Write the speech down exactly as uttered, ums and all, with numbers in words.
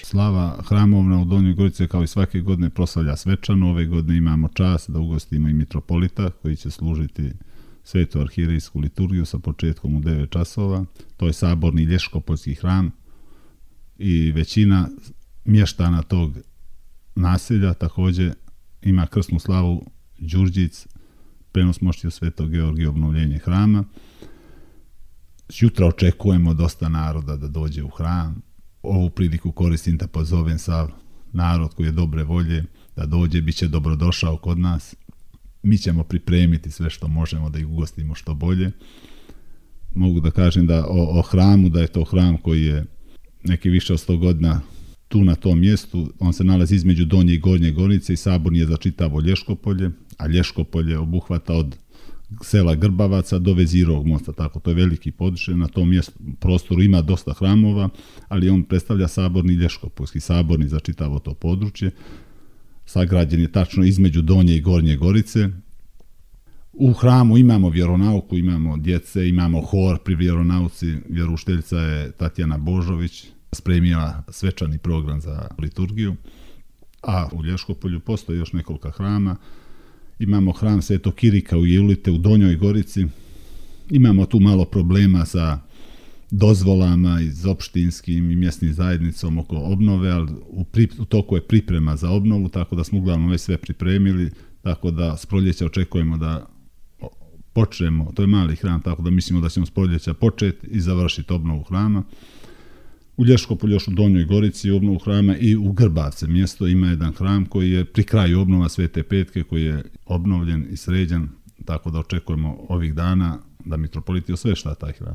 Slava hramovna u Donjoj Gorici kao i svake godine proslavlja svečano. Ove godine imamo čast da ugostimo i mitropolita koji će služiti svetu arhijerejsku liturgiju sa početkom u devet časova. To je saborni Lješkopoljski hram i većina mještana tog naselja također ima krsnu slavu Đurđic, prenos mošti Svetog Georgija, obnovljenje hrama. Jutra očekujemo dosta naroda da dođe u hram. Ovu priliku koristim da pozovem sav narod koji je dobre volje da dođe, bit će dobrodošao kod nas. Mi ćemo pripremiti sve što možemo da ih ugostimo što bolje. Mogu da kažem da o, o hramu, da je to hram koji je neki više od sto godina tu na tom mjestu. On se nalazi između Donje i Gornje Gorice i saborni je za čitavo Lješkopolje, a Lješkopolje obuhvata od sela Grbavaca do Vezirog mosta, tako to je veliki područje. Na tom mjestu, prostoru ima dosta hramova, ali on predstavlja saborni Lješkopoljski, saborni za čitavo to područje. Sagrađen je tačno između Donje i Gornje Gorice. U hramu imamo vjeronauku, imamo djece, imamo hor pri vjeronauci. Vjeroučiteljica je Tatjana Božović, spremila svečani program za liturgiju. A u Lješkopolju postoji još nekoliko hrama. Imamo hram Svetog Kirika u Jelite u Donjoj Gorici. Imamo tu malo problema sa dozvolama iz opštinskim i mjesnim zajednicom oko obnove, ali u, pri, u toku je priprema za obnovu, tako da smo uglavnom već sve pripremili, tako da s proljeća očekujemo da počnemo, to je mali hram, tako da mislimo da ćemo s proljeća početi i završiti obnovu hrama. U Lješkopolju još u Donjoj Gorici obnovu hrama i u Grbavce mjesto ima jedan hram koji je pri kraju obnova Svete Petke, koji je obnovljen i sređen, tako da očekujemo ovih dana da mitropolit osvešta taj hram.